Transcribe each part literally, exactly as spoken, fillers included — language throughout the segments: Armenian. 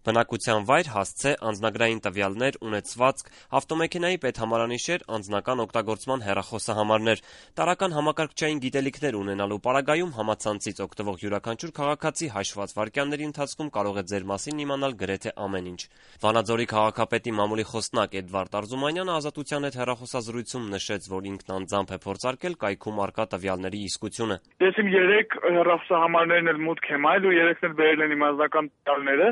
Բնակության վայր, հասցե, անձնագրային տվյալներ, ունեցվածք, ավտոմեքենայի պետհամարանիշեր, անձնական օգտագործման հեռախոսահամարներ, տարրական համակարգչային գիտելիքներ ունենալու պարագայում համացանցից օգտվող յուրաքանչյուր քաղաքացի հաշված վայրկյանների ընթացքում կարող է ձեր մասին իմանալ գրեթե ամեն ինչ։ Վանաձորի քաղաքապետի մամուլի խոսնակ Էդվարդ Արզումանյանը Ազատության հետ հեռախոսազրույցում նշեց, որ ինքն անձամբ է փորձարկել կայքում առկա տվյալների իսկությունը։ Ես իմ երեք հեռախոսահամարներն էլ մուտք եմ այլ ու երեքն էլ բերել են իմ անձնական տվյալները։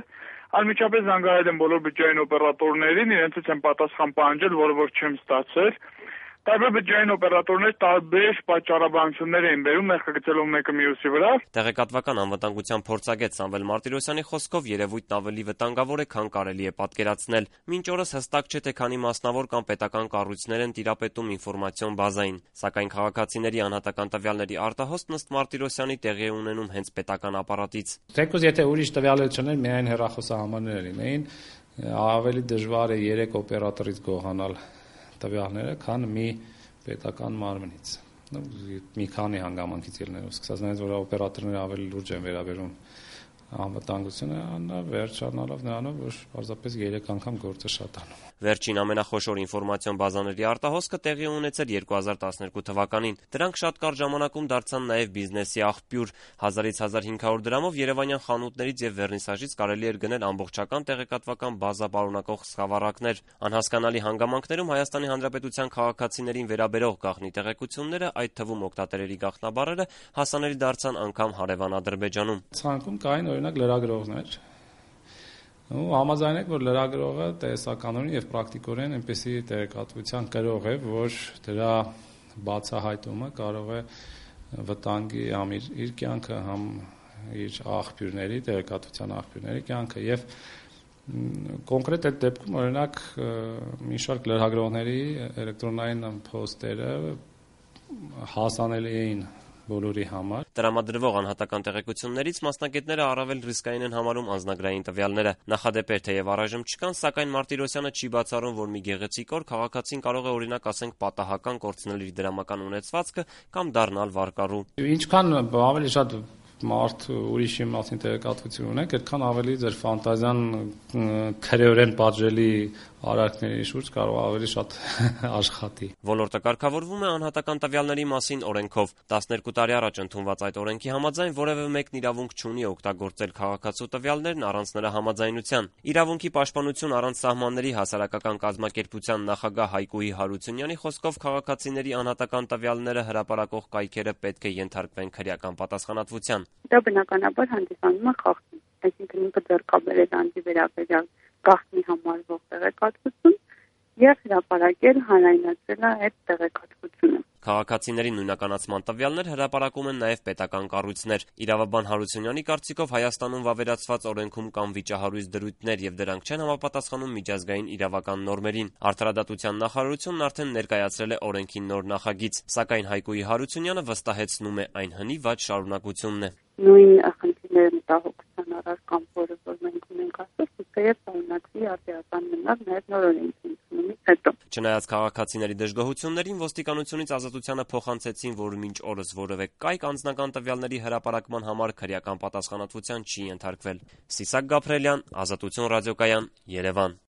Անմիջապես զանգահարել եմ բոլոր բջջային օպերատորներին, իրենցից եմ պատասխան պահանջել, որը որ չեմ ստացել։ Տարբեր բջջային օպերատորներ տարբեր պատճառաբանություններ էին բերում, ներկայացելով մեկը մյուսի վրա։ Տեղեկատվական անվտանգության փորձագետ Սամվել Մարտիրոսյանի խոսքով երևույթն ավելի վտանգավոր է, քան կարելի է պատկերացնել։ Մինչ օրս հստակ չէ, թե քանի մասնավոր կամ պետական կառույցներ են տիրապետում ինֆորմացիոն բազային, սակայն քաղաքացիների անհատական տվյալների արտահոսքն ըստ Մարտիրոսյանի տեղի է ունենում հենց պետական ապարատից։ Թեկուզ եթե ուրիշ տվյալներ չներ, միայն հեռախոսահամարներ լինեին, ավելի դժվար է երեք օպերատորից գողանալ տվյալները, քան մի պետական մարմնից։ Մի քանի հանգամանքից ելնելով, սկսած նրանից, որ օպերատորները ավելի լուրջ են վերաբերում անվտանգությունը, վերջանալով նրանով, որ պարզապես երեք անգամ գործը շատանում։ Վերջին ամենախոշոր ինֆորմացիոն բազաների արտահոսքը տեղի ունեցել երկու հազար տասներկու թվականին։ Դրանք շատ կարճ ժամանակում դարձան նաև բիզնեսի աղբյուր։ Հազարից հազար հինգ հարյուր դրամով երևանյան խանութներից եւ վերնիսաժից կարելի էր գնել ամբողջական տեղեկատվական բազա պարունակող սխավառակներ։ Անհասկանալի հանգամանքներում Հայաստանի Հանրապետության քաղաքացիներին վերաբերող գաղտնի տեղեկությունները, այդ թվում օգտատերերի գաղտնաբառերը, հասանելի դարձան անգամ հարևան Ադրբեջանում։ Ցանկում կային օրինակ լրագրողներ, ու համաձայն եք, որ լրագրողը տեսականորեն եւ պրակտիկորեն այնպեսի տեղեկատվության կրող է, որ դրա բացահայտումը կարող է վտանգի համ իր, իր կյանքը, համ իր աղբյուրների, տեղեկատվության աղբյուրների կյանքը եւ կոնկրետ այդ դեպքում օրինակ մի շարք լրագրողների էլեկտրոնային փոստերը հասանելի էին բոլորի համար։ Տրամադրվող անհատական տեղեկություններից մասնագետները առավել ռիսկային են համարում անձնագրային տվյալները։ Նախադեպեր թեև առայժմ չկան, սակայն Մարտիրոսյանը չի բացառում, որ մի գեղեցիկ օր քաղաքացին կարող է օրինակ ասենք պատահական կորցնել իր դրամական ունեցվածքը կամ դառնալ վարկառու։ Ինչքան ավելի շատ մարդ ուրիշի մասին տեղեկատվություն ունեք, այդքան ավելի ձեր ֆանտազիան քրեորեն պատժելի արարքների շուրջ կարող ավելի շատ աշխատի։ Ոլորտը կարգավորվում է անհատական տվյալների մասին օրենքով։ տասներկու տարի առաջ ընդունված այդ օրենքի համաձայն որևէ մեկն իրավունք չունի օգտագործել քաղաքացու տվյալներն առանց նրա համաձայնության։ Իրավունքի պաշտպանություն առանց սահմանների հասարակական կազմակերպության նախագահ Հայկուհի Հարությունյանի խոսքով քաղաքացիների անհատական տվյալները հրապարակող կայքերը պետք է ենթարկվեն քրեական պատասխանատվության։ Դա բնականաբար հանդիսանում է խախտում, այսինքն ինքը ձեռքաբերել անձի վերաբերյալ գաղտնի համարվող տեղեկատվություն եւ հրապարակել հանրայնացնել այդ տեղեկատվությունը։ Քաղաքացիների նույնականացման տվյալներ հրապարակում են նաև պետական կառույցներ։ Իրավաբան Հարությունյանի կարծիքով Հայաստանում վավերացված օրենքում կան վիճահարույց դրույթներ եւ դրանք չեն համապատասխանում միջազգային իրավական նորմերին։ Արդարադատության նախարարությունն արդեն ներկայացրել է օրենքի նոր նախագիծ, սակայն Հայկուհի Հարությունյանը վստահեցնում է այն հնի-վատ շարունակությունն է։ Նույն խնդիրները մտահոգության առարկան, որը որ մենք ունենք այսօր, թեև շարունակվի արդիական մնալ նաև նոր օրենքի ընդունումից հետո։ Չնայած քաղաքացիների դժգոհություններին, ոստիկանությունից Ազատությանը փոխանցեցին, որ մինչ օրս որևէ կայք անձնական տվյալների հրապարակման համար քրեական պատասխանատվության չի ենթարկվել։ Սիսակ Գաբրելյան, Ազատություն ռադիոկայան, Երևան։